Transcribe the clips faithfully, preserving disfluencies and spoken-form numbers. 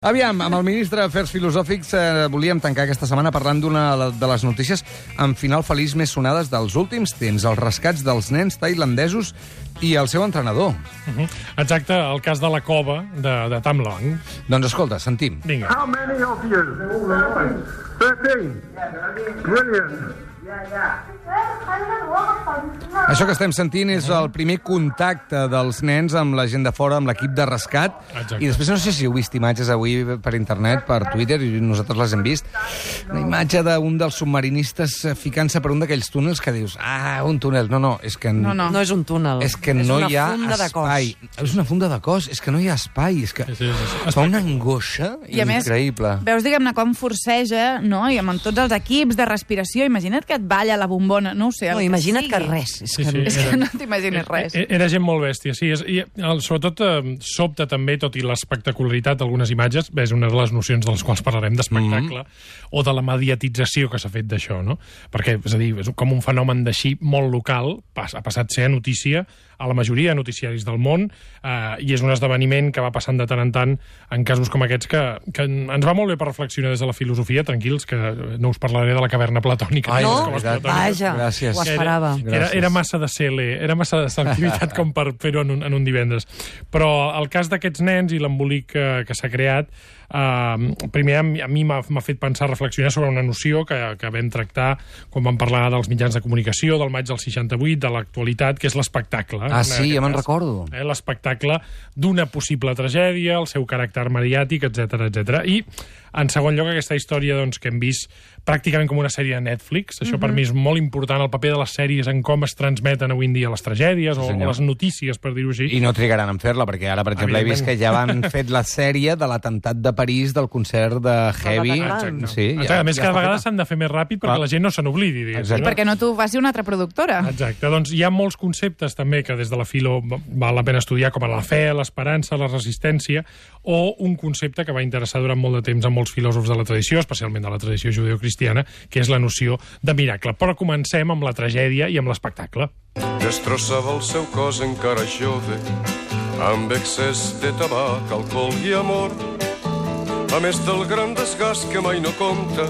Aviam, amb el ministre d'Afers Filosòfics eh, volíem tancar aquesta setmana parlant d'una de les notícies amb final feliç més sonades dels últims temps, els rescats dels nens tailandesos i el seu entrenador. Uh -huh. Exacte, el cas de la cova de, de Tam Luang. Doncs escolta, sentim. Vinga. How many of you? thirteen. Brilliant. Això que estem sentint és el primer contacte dels nens amb la gent de fora, amb l'equip de rescat. Exacte. I després no sé si heu vist imatges avui per internet, per Twitter, i nosaltres les hem vist. Una imatge d'un dels submarinistes ficant-se per un d'aquells túnels que dius, ah, un túnel. No, no, és que... No, no. No és un túnel. És que no hi ha És una funda de cos. espai. És una funda de cos, és que no hi ha espai. És que Sí, sí, sí. fa una angoixa I a més, increïble. veus, diguem-ne, com forceja, no? I amb tots els equips de respiració, imagina't que et balla la bombona, no ho sé. el No, que imagina't sigui. que res. És Sí, que... sí. És que no t'imagines res. Era, era gent molt bèstia, sí. És, i, el, sobretot eh, sobta també, tot i l'espectacularitat d'algunes imatges, és una de les nocions de les quals parlarem, d'espectacle, mm-hmm. o de la mediatització que s'ha fet d'això, no? Perquè, és a dir, és com un fenomen d'així molt local, pas, ha passat a ser notícia a la majoria de noticiaris del món, eh, i és un esdeveniment que va passant de tant en tant en casos com aquests que, que ens va molt bé per reflexionar des de la filosofia, tranquils, que no us parlaré de la caverna platònica. Ai, les no? escoles veritat. platòniques. Vaja, Gràcies. ho esperava. Era, era, era massa de cele, era massa de selectivitat com per fer-ho en, un, en un divendres. Però el cas d'aquests nens i l'embolic que, que s'ha creat, eh, primer a mi, a mi m'ha fet pensar, reflexionar sobre una noció que, que vam tractar quan vam parlar dels mitjans de comunicació, del maig del seixanta-vuit, de l'actualitat, que és l'espectacle. Ah, sí, ja me'n recordo. Eh, l'espectacle d'una possible tragèdia, el seu caràcter mediàtic, etcètera, etcètera. I, en segon lloc, aquesta història doncs, que hem vist pràcticament com una sèrie de Netflix. Això, mm-hmm. per mi, és molt important, el paper de les sèries en com es transmeten avui en dia les tragèdies o, Sí, o les notícies, per dir-ho així. I no trigaran en fer-la, perquè ara, per exemple, he vist que ja van fet la sèrie de l'atemptat de París del concert de Heavy. Bataclan. Sí, Exacte. A més, ja cada està vegada feta. s'han de fer més ràpid perquè Clar. la gent no se n'oblidi, diguéssim. Exacte. no? Perquè no t'ho faci una altra productora. Exacte, doncs hi ha molts conceptes també que des de la filo val la pena estudiar, com la fe, l'esperança, la resistència, o un concepte que va interessar durant molt de temps a molts filòsofs de la tradició, especialment de la tradició judeocristiana, que és la noció de miracle. Però comencem amb la tragèdia i amb l'espectacle. Destrossava el seu cos encara jove amb excés de tabac, alcohol i amor, a més del gran desgast que mai no compta,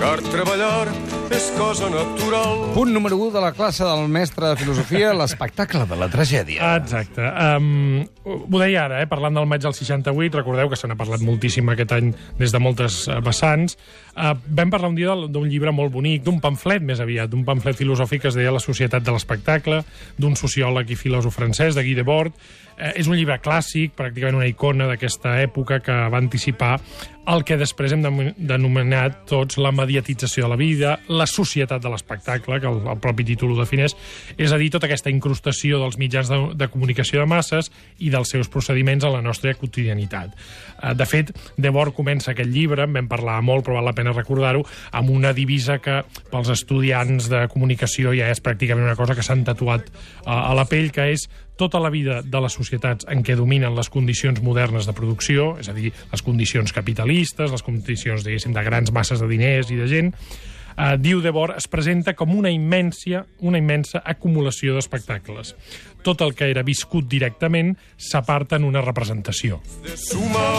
car treballar és cosa natural. Punt número u de la classe del mestre de filosofia, l'espectacle de la tragèdia. Exacte. Um, ho deia ara, eh? Parlant del maig del seixanta-vuit, recordeu que se n'ha parlat moltíssim aquest any des de moltes uh, vessants. Uh, vam parlar un dia d'un llibre molt bonic, d'un pamflet més aviat, d'un pamflet filosòfic que es deia La societat de l'espectacle, d'un sociòleg i filòsof francès, de Guy Debord. Uh, és un llibre clàssic, pràcticament una icona d'aquesta època que va anticipar el que després hem denominat tots la mediatització de la vida, la societat de l'espectacle, que el, el propi títol ho defineix, és a dir, tota aquesta incrustació dels mitjans de, de comunicació de masses i dels seus procediments a la nostra quotidianitat. De fet, Debord comença aquest llibre, en vam parlar molt, però val la pena recordar-ho, amb una divisa que pels estudiants de comunicació ja és pràcticament una cosa que s'han tatuat a, a la pell, que és tota la vida de les societats en què dominen les condicions modernes de producció, és a dir, les condicions capitalistes, les condicions, diguéssim, de grans masses de diners i de gent, eh, diu Debord, es presenta com una immensa, una immensa acumulació d'espectacles. Tot el que era viscut directament s'aparta en una representació. De sumar.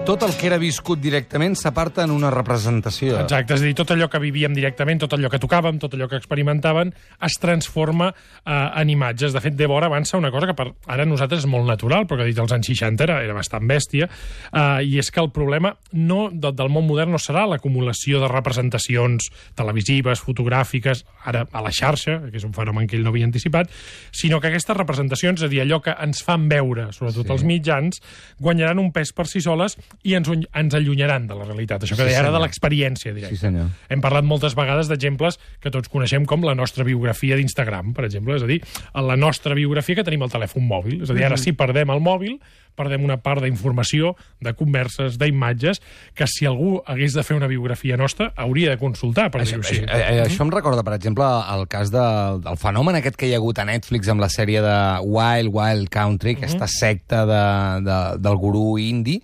Tot el que era viscut directament s'aparta en una representació. Exacte, és a dir, tot allò que vivíem directament, tot allò que tocàvem, tot allò que experimentàvem, es transforma eh, en imatges. De fet, Debord avança una cosa que per ara nosaltres és molt natural, però que dit als anys seixanta era, era bastant bèstia, eh, i és que el problema no, de, del món modern no serà l'acumulació de representacions televisives, fotogràfiques, ara a la xarxa, que és un fenomen que ell no havia anticipat, sinó que aquestes representacions, és a dir, allò que ens fan veure, sobretot Sí. els mitjans, guanyaran un pes per si soles i ens, ens allunyaran de la realitat. Això que Sí, deia ara senyor. de l'experiència directa. Sí, senyor. Hem parlat moltes vegades d'exemples que tots coneixem com la nostra biografia d'Instagram, per exemple. És a dir, la nostra biografia que tenim al telèfon mòbil. És a dir, ara si perdem el mòbil, perdem una part d'informació, de converses, d'imatges, que si algú hagués de fer una biografia nostra, hauria de consultar, per Això, dir-ho així. això, eh, això em recorda, per exemple, el cas de, del fenomen aquest que hi ha hagut a Netflix amb la sèrie de Wild Wild Country, aquesta secta de, de, del gurú indi.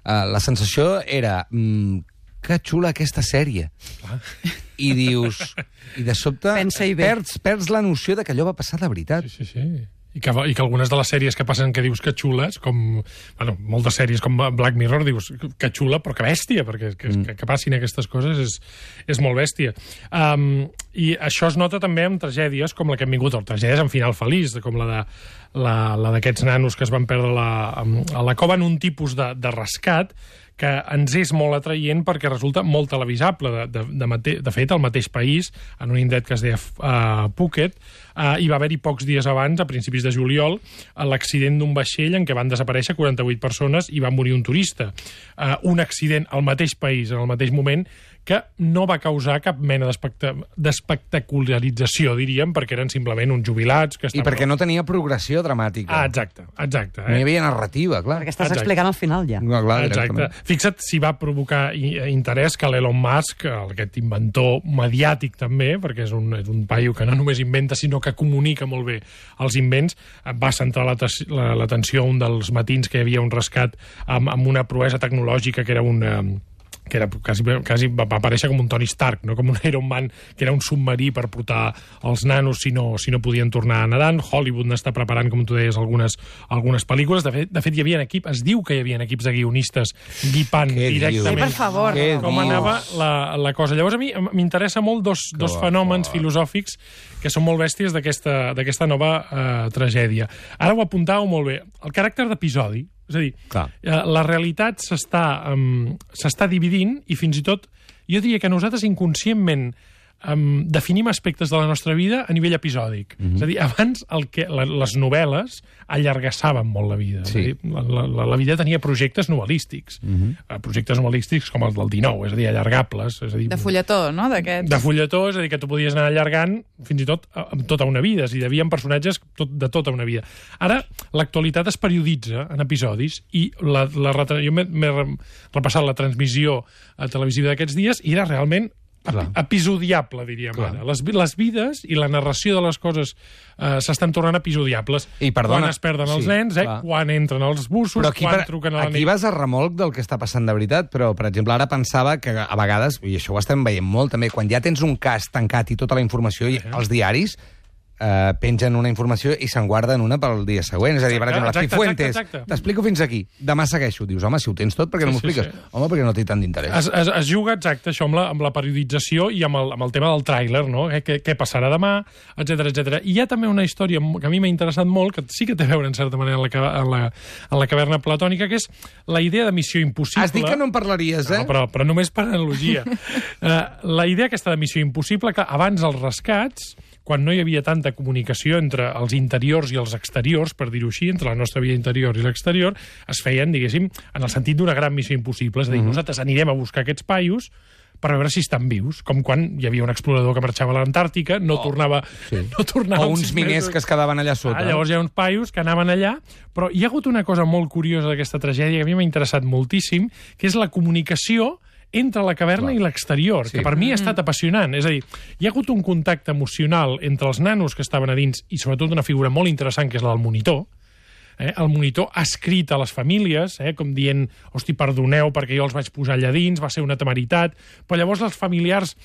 Uh, la sensació era mm, que xula aquesta sèrie. I dius... I de sobte Pensa-hi bé. perds, perds la noció de que allò va passar de veritat. Sí, sí, sí. I que, I que algunes de les sèries que passen que dius que xules, com... Bueno, moltes sèries com Black Mirror, dius que xula, però que bèstia, perquè que, mm. que, que passin aquestes coses és, és molt bèstia. Um, I això es nota també amb tragèdies com la que hem vingut, o tragèdies amb final feliç, com la de la, la d'aquests nanos que es van perdre la, a la cova en un tipus de, de rescat que ens és molt atraient perquè resulta molt televisable. De, de, de, mate, de fet, al mateix país, en un indret que es deia uh, Phuket, uh, hi va haver-hi pocs dies abans, a principis de juliol, l'accident d'un vaixell en què van desaparèixer quaranta-vuit persones i va morir un turista. Uh, un accident al mateix país, en el mateix moment, que no va causar cap mena d'espectacularització, diríem, perquè eren simplement uns jubilats... Que I perquè no tenia progressió dramàtica. Ah, exacte, exacte. Eh? No hi havia narrativa, clar. Perquè estàs exacte. explicant al final, ja. No, clar, exacte. Fixa't si va provocar interès que l'Elon Musk, aquest inventor mediàtic també, perquè és un, és un paio que no només inventa, sinó que comunica molt bé els invents, va centrar l'atenció a un dels matins que hi havia un rescat amb, amb una proesa tecnològica que era una... que era quasi, quasi va aparèixer com un Tony Stark, no? Com un Iron Man, que era un submarí per portar els nanos si no, si no podien tornar nedant. Hollywood n'està preparant, com tu deies, algunes, algunes pel·lícules. De fet, de fet, hi havia equip, es diu que hi havia equips de guionistes guipant Què directament sí, per favor. com anava la, la cosa. Llavors, a mi m'interessa molt dos, dos fenòmens filosòfics que són molt bèsties d'aquesta nova eh, tragèdia. Ara ho apuntàveu molt bé. El caràcter d'episodi. És a dir, Clar. la realitat s'està um, s'està dividint i fins i tot, jo diria que nosaltres inconscientment um, definim aspectes de la nostra vida a nivell episòdic. Mm-hmm. És a dir, abans el que, la, les novel·les allargassaven molt la vida. Sí. És a dir, la, la, la vida tenia projectes novel·lístics. Mm-hmm. Projectes novel·lístics com els del dinou, és a dir, allargables. És a dir, de fulletó, no? De fulletó, és a dir, que tu podies anar allargant fins i tot amb tota una vida. És a dir, hi havia personatges tot, de tota una vida. Ara, l'actualitat es perioditza en episodis i la, la, jo m'he repassat la transmissió televisiva d'aquests dies i era realment Clar. episodiable, diríem Clar. ara. Les, les vides i la narració de les coses eh, s'estan tornant episodiables. I perdona, quan es perden els sí, nens, eh, clar. quan entren els bussos, però aquí, quan per, truquen a la nit. Aquí vas a remolc del que està passant de veritat, però, per exemple, ara pensava que a vegades, i això ho estem veient molt també, quan ja tens un cas tancat i tota la informació, i els diaris eh, pengen una informació i se'n guarden una pel dia següent. És a dir, per exemple, exacte, Cifuentes, exacte, exacte. t'explico fins aquí, demà segueixo. Dius, home, si ho tens tot, per què no Sí, m'ho sí, expliques? sí. Home, perquè no té tant d'interès. Es, es, es juga exacte això amb la, amb la periodització i amb el, amb el tema del tràiler, no? Eh, què, què passarà demà, etcètera, etcètera. I hi ha també una història que a mi m'ha interessat molt, que sí que té a veure, en certa manera, en la, en la, en la caverna platònica, que és la idea de missió impossible. Has dit que no en parlaries, eh? No, però, però només per analogia. uh, la idea aquesta de missió impossible, que abans els rescats, quan no hi havia tanta comunicació entre els interiors i els exteriors, per dir-ho així, entre la nostra vida interior i l'exterior, es feien, diguéssim, en el sentit d'una gran missió impossible. És a dir, mm-hmm. nosaltres anirem a buscar aquests paios per veure si estan vius, com quan hi havia un explorador que marxava a l'Antàrtica, no, oh, tornava, sí. no tornava... O uns miners que es quedaven allà sota. Ah, llavors hi ha uns paios que anaven allà, però hi ha hagut una cosa molt curiosa d'aquesta tragèdia que a mi m'ha interessat moltíssim, que és la comunicació entre la caverna Clar. i l'exterior, sí. que per mi ha estat apassionant. És a dir, hi ha hagut un contacte emocional entre els nanos que estaven a dins i sobretot una figura molt interessant, que és la del monitor. Eh? El monitor ha escrit a les famílies, eh? com dient, hosti, perdoneu perquè jo els vaig posar allà dins, va ser una temeritat, però llavors els familiars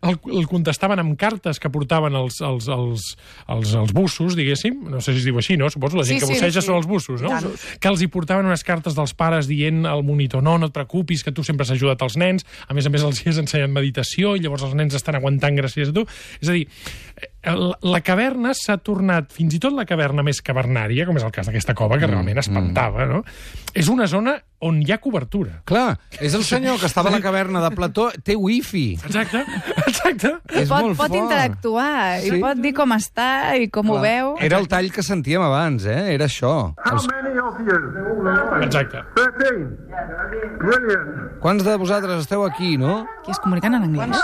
el, el contestaven amb cartes que portaven els, els, els, els, els bussos, diguéssim, no sé si es diu així, no? Suposo la gent sí, que sí, busseja sí. són els bussos, no? Claro. Que els hi portaven unes cartes dels pares dient al monitor, no, no et preocupis, que tu sempre has ajudat els nens, a més a més els hi has ensenyat meditació i llavors els nens estan aguantant gràcies a tu. És a dir, la caverna s'ha tornat, fins i tot la caverna més cavernària, com és el cas d'aquesta cova, que realment espantava, no? És una zona on hi ha cobertura. Clar, és el senyor que estava a la caverna de Plató, té wifi. Exacte, exacte. És pot, molt pot fort. interactuar, Sí. i pot dir com està i com ho veu. Era el tall que sentíem abans, eh? Era això. How Els... many of you? Exacte. thirteen. Brilliant. Quants de vosaltres esteu aquí, no? Qui es comuniquen en anglès?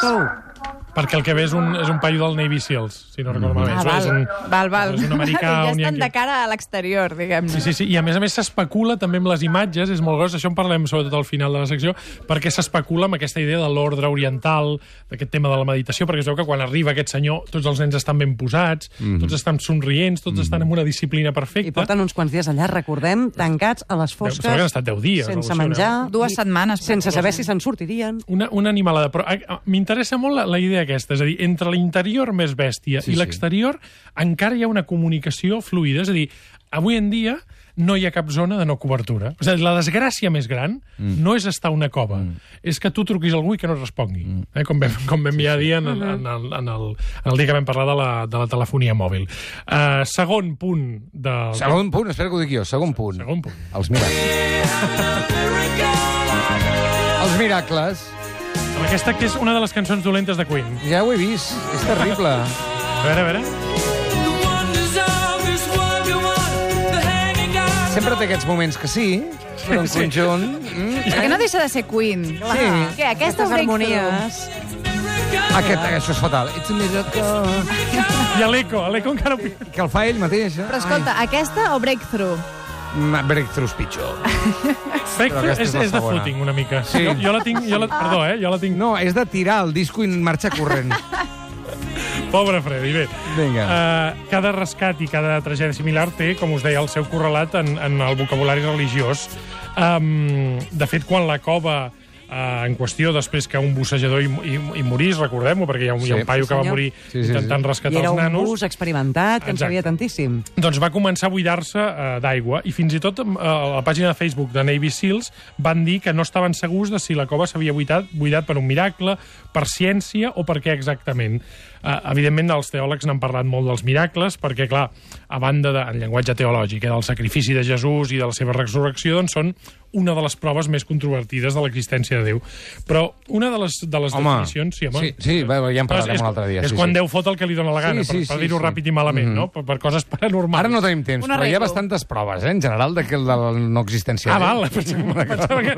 Perquè el que ve és un, és un paio del Navy Seals, si no recordo malament. Ah, val, és un, val, val. És un americà, ja un estan yankee. de cara a l'exterior, diguem-ne. Sí, sí, sí, i a més a més s'especula també amb les imatges, és molt gros, això en parlem sobretot al final de la secció, perquè s'especula amb aquesta idea de l'ordre oriental, d'aquest tema de la meditació, perquè es veu que quan arriba aquest senyor tots els nens estan ben posats, mm-hmm. tots estan somrients, tots mm-hmm. estan amb una disciplina perfecta. I porten uns quants dies allà, recordem, tancats a les fosques, Deu, que han estat deu dies, sense no? menjar, Dues setmanes. sense saber si se'n sortirien. Una, una animalada, però eh, m'interessa molt la, la idea aquesta. És a dir, entre l'interior més bèstia Sí, i sí. l'exterior encara hi ha una comunicació fluida. És a dir, avui en dia no hi ha cap zona de no cobertura. O sigui, la desgràcia més gran mm. no és estar a una cova, mm. és que tu truquis a algú i que no et respongui. Mm. Eh, com vam, com vam ja dir en, en, en, el, en, el, en el dia que vam parlar de la, de la telefonia mòbil. Uh, segon punt del... Segon punt, espera que ho dic jo, segon punt. Segon punt. Els miracles. Els miracles. Aquesta que és una de les cançons dolentes de Queen. Ja ho he vist, és terrible. A veure, a veure... Sempre té aquests moments que sí, però en conjunt... Mm, Que no deixa de ser Queen. Sí. Què, aquesta Aquestes breakthrough? harmonies... Aquest, això és fatal. It's a miracle. I a l'Eco, a l'Eco encara... Que el fa ell mateix, eh? Però escolta, aquesta o breakthrough? Ai, breakthroughs pitjor. Breakthrough aquesta és, és la és de segona. footing, una mica. Sí. Jo, jo la tinc... Jo la, perdó, eh? Jo la tinc... No, és de tirar el disco i marxar corrent. Pobre Freddy, bé. Vinga. Uh, cada rescat i cada tragèdia similar té, com us deia, el seu correlat en, en el vocabulari religiós. Um, de fet, quan la cova uh, en qüestió, després que un bussejador hi, hi, hi morís, recordem-ho, perquè hi ha un, Sí. hi ha un paio Sí, que va senyor. morir Sí, sí, sí. intentant I rescatar era els un nanos. bus experimentat, que en Exacte. sabia tantíssim. Doncs va començar a buidar-se uh, d'aigua i fins i tot uh, a la pàgina de Facebook de Navy Seals van dir que no estaven segurs de si la cova s'havia buidat, buidat per un miracle, per ciència o per què exactament. Uh, evidentment, els teòlegs n'han parlat molt dels miracles perquè, clar, a banda de, en llenguatge teològic, eh, del sacrifici de Jesús i de la seva resurrecció, doncs són una de les proves més controvertides de l'existència de Déu. Però una de les, de les Home, definicions... Sí, home, sí, sí, va, ja en parlarem és, un altre dia, És sí, quan sí. Déu fot el que li dona la gana, Sí, sí, per, per sí, dir-ho sí. ràpid i malament, Mhm. no? Per, per coses paranormals. Ara no tenim temps, Una però hi ha regla. bastantes proves, eh, en general, de, que, de la no existència. Ah, de Déu. val, pensava, pensava que...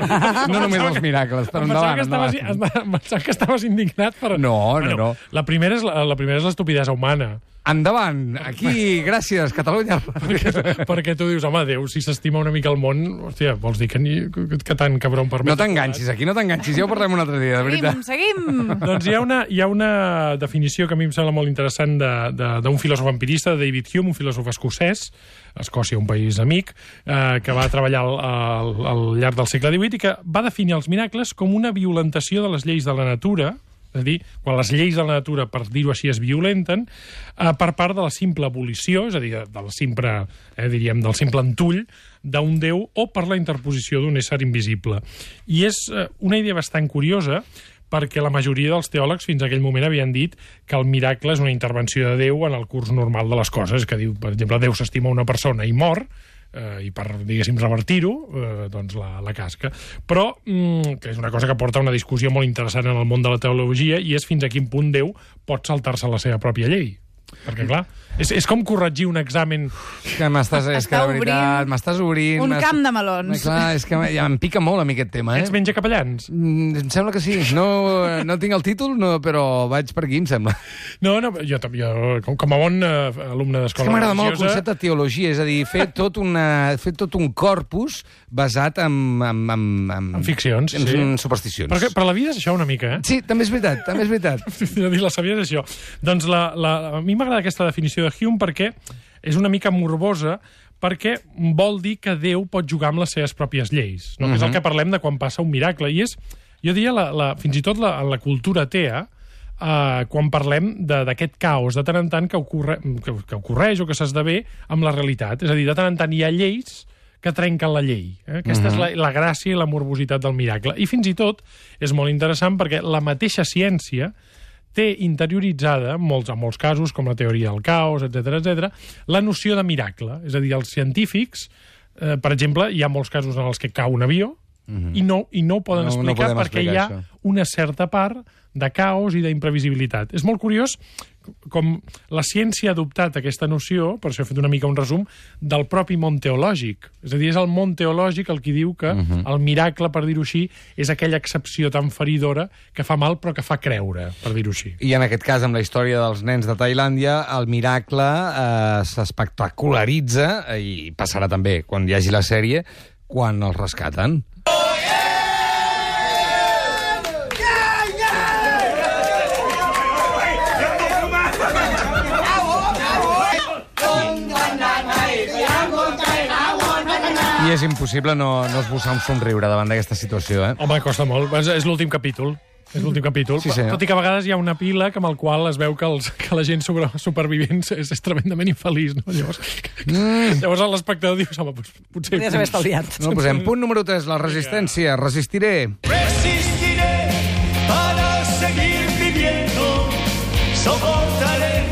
No només els miracles, però Em pensava endavant, que estaves, endavant. em pensava que estaves indignat per... No, no, no. La primera és la, la primera és l'estupidesa humana. Endavant, aquí, gràcies, Catalunya. perquè, perquè tu dius, home, Déu, si s'estima una mica el món, hòstia, vols dir que, ni, que, que tan cabron permet... No t'enganxis, aquí no t'enganxis, ja ho parlem un altre dia, de veritat. Seguim, seguim. Doncs hi ha, una, hi ha una definició que a mi em sembla molt interessant de- de- d'un filòsof empirista, de David Hume, un filòsof escocès, Escòcia, un país amic, eh, que va treballar al, al, al llarg del segle divuit i que va definir els miracles com una violentació de les lleis de la natura, és a dir, quan les lleis de la natura, per dir-ho així, es violenten, eh, per part de la simple abolició, és a dir, del simple, eh, diríem, del simple entull d'un déu o per la interposició d'un ésser invisible. I és eh, una idea bastant curiosa, perquè la majoria dels teòlegs fins a aquell moment havien dit que el miracle és una intervenció de Déu en el curs normal de les coses, que diu, per exemple, Déu s'estima una persona i mor, eh, i per, diguéssim, revertir-ho, eh, doncs la, la casca. Però, mm, que és una cosa que porta una discussió molt interessant en el món de la teologia, i és fins a quin punt Déu pot saltar-se la seva pròpia llei. Perquè, clar, és, és com corregir un examen... Que m'estàs, és que Està de veritat, obrint m'estàs obrint... un m'estàs- camp de melons. Clar, és que ja em pica molt a mi aquest tema, eh? Ets menja capellans? Mm, em sembla que sí. No, no tinc el títol, no, però vaig per aquí, em sembla. No, no, jo, tam- jo com, com a bon eh, alumne És que d'escola m'agrada molt el religiosa... concepte de teologia, és a dir, fer tot, una, fer tot un corpus basat en... En, en, en, En ficcions, en, sí. en supersticions. Però, que, però la vida és això una mica, eh? Sí, també és veritat, també és veritat. de dir la sabia és això. Doncs la, la, a mi m'agrada aquesta definició de Hume perquè és una mica morbosa, perquè vol dir que Déu pot jugar amb les seves pròpies lleis, no? Uh -huh. Que és el que parlem de quan passa un miracle. I és, jo diria, la, la, fins i tot la, en la cultura atea, eh, quan parlem d'aquest caos de tant en tant que, ocorre, que, que ocorreix o que s'esdevé amb la realitat. És a dir, de tant en tant hi ha lleis que trenquen la llei. Eh? Aquesta uh -huh. és la, la gràcia i la morbositat del miracle. I fins i tot és molt interessant perquè la mateixa ciència té interioritzada, en molts, en molts casos, com la teoria del caos, etcètera, etcètera, la noció de miracle. És a dir, els científics, eh, per exemple, hi ha molts casos en els que cau un avió uh-huh. i, no, i no ho poden No- no explicar podem perquè explicar hi ha això. una certa part de caos i d'imprevisibilitat. És molt curiós com la ciència ha adoptat aquesta noció, per això he fet una mica un resum, del propi món teològic. És a dir, és el món teològic el que diu que uh-huh. el miracle, per dir-ho així, és aquella excepció tan feridora que fa mal però que fa creure, per dir-ho així. I en aquest cas, amb la història dels nens de Tailàndia, el miracle eh, s'espectacularitza, i passarà també quan hi hagi la sèrie, quan els rescaten. I és impossible no, no esbossar un somriure davant d'aquesta situació, eh? Home, costa molt. És, és l'últim capítol. És l'últim capítol. Sí, senyor. Tot i que a vegades hi ha un epíleg amb el qual es veu que, els, que la gent sobre, supervivent és, és tremendament infeliç, no? Llavors, mm. llavors l'espectador diu, home, doncs, potser... Podries haver estalviat. No, posem punt número tres, la resistència. Resistiré. Resistiré para seguir viviendo, soportaré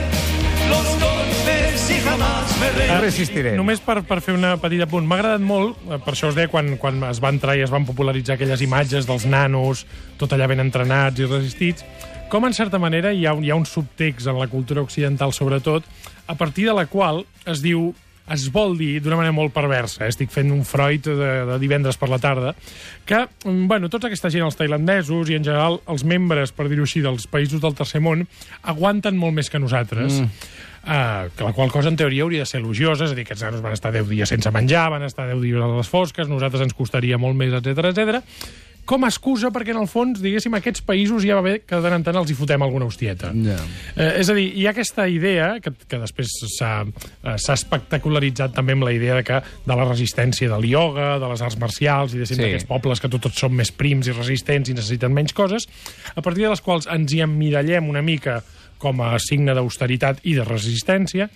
los golpes y jamás me rendiré. Resistiré. Només per, per fer una petita punt. M'ha agradat molt, eh, per això us deia, quan, quan es van entrar i es van popularitzar aquelles imatges dels nanos, tot allà ben entrenats i resistits, com en certa manera hi ha, un, hi ha un subtext en la cultura occidental, sobretot, a partir de la qual es diu, es vol dir, d'una manera molt perversa, eh? Estic fent un Freud de, de divendres per la tarda, que, bueno, tota aquesta gent, els tailandesos i en general els membres, per dir-ho així, dels països del tercer món, aguanten molt més que nosaltres. Mm. Uh, que la qual cosa, en teoria, hauria de ser elogiosa, és a dir, que aquests nanos van estar deu dies sense menjar, van estar deu dies a les fosques, nosaltres ens costaria molt més, etcètera, etcètera. Com a excusa perquè, en el fons, diguéssim, aquests països ja va bé que de tant en tant els hi fotem alguna hostieta. Yeah. Eh, és a dir, hi ha aquesta idea, que, que després s'ha eh, espectacularitzat també amb la idea de, que, de la resistència del ioga, de les arts marcials, i Sí. d'aquests pobles que tots, tots són més prims i resistents i necessiten menys coses, a partir de les quals ens hi emmirallem una mica com a signe d'austeritat i de resistència,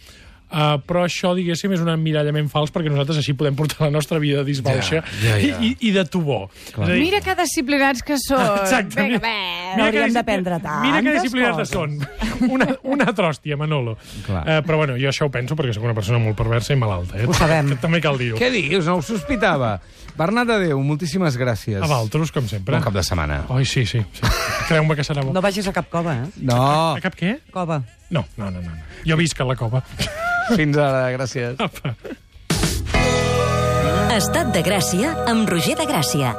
Uh, però això, diguéssim, és un emmirallament fals perquè nosaltres així podem portar la nostra vida disbauxa Ja, ja, ja. I, i, i de tubó. Clar. És a dir, Mira que disciplinats que són. Exacte. Vinga, Mira- bé. mira No que hauríem discipli- d'aprendre Mira que tantes disciplinats coses. són. Una, una tròstia, Manolo. Clar. Uh, però bueno, jo això ho penso perquè sóc una persona molt perversa i malalta. Eh? Ho sabem. També cal dir-ho. Què dius? No ho sospitava. Bernat Adéu, moltíssimes gràcies. A Valtros, com sempre. Bon cap de setmana. Ai, sí, sí. sí. Creu-me que serà bo. No vagis a cap cova, eh? No, A cap què? Cova. No, no, no, no. no. Jo visc a la cova. fins ara, gràcies. Estat de Gràcia amb Roger de Gràcia.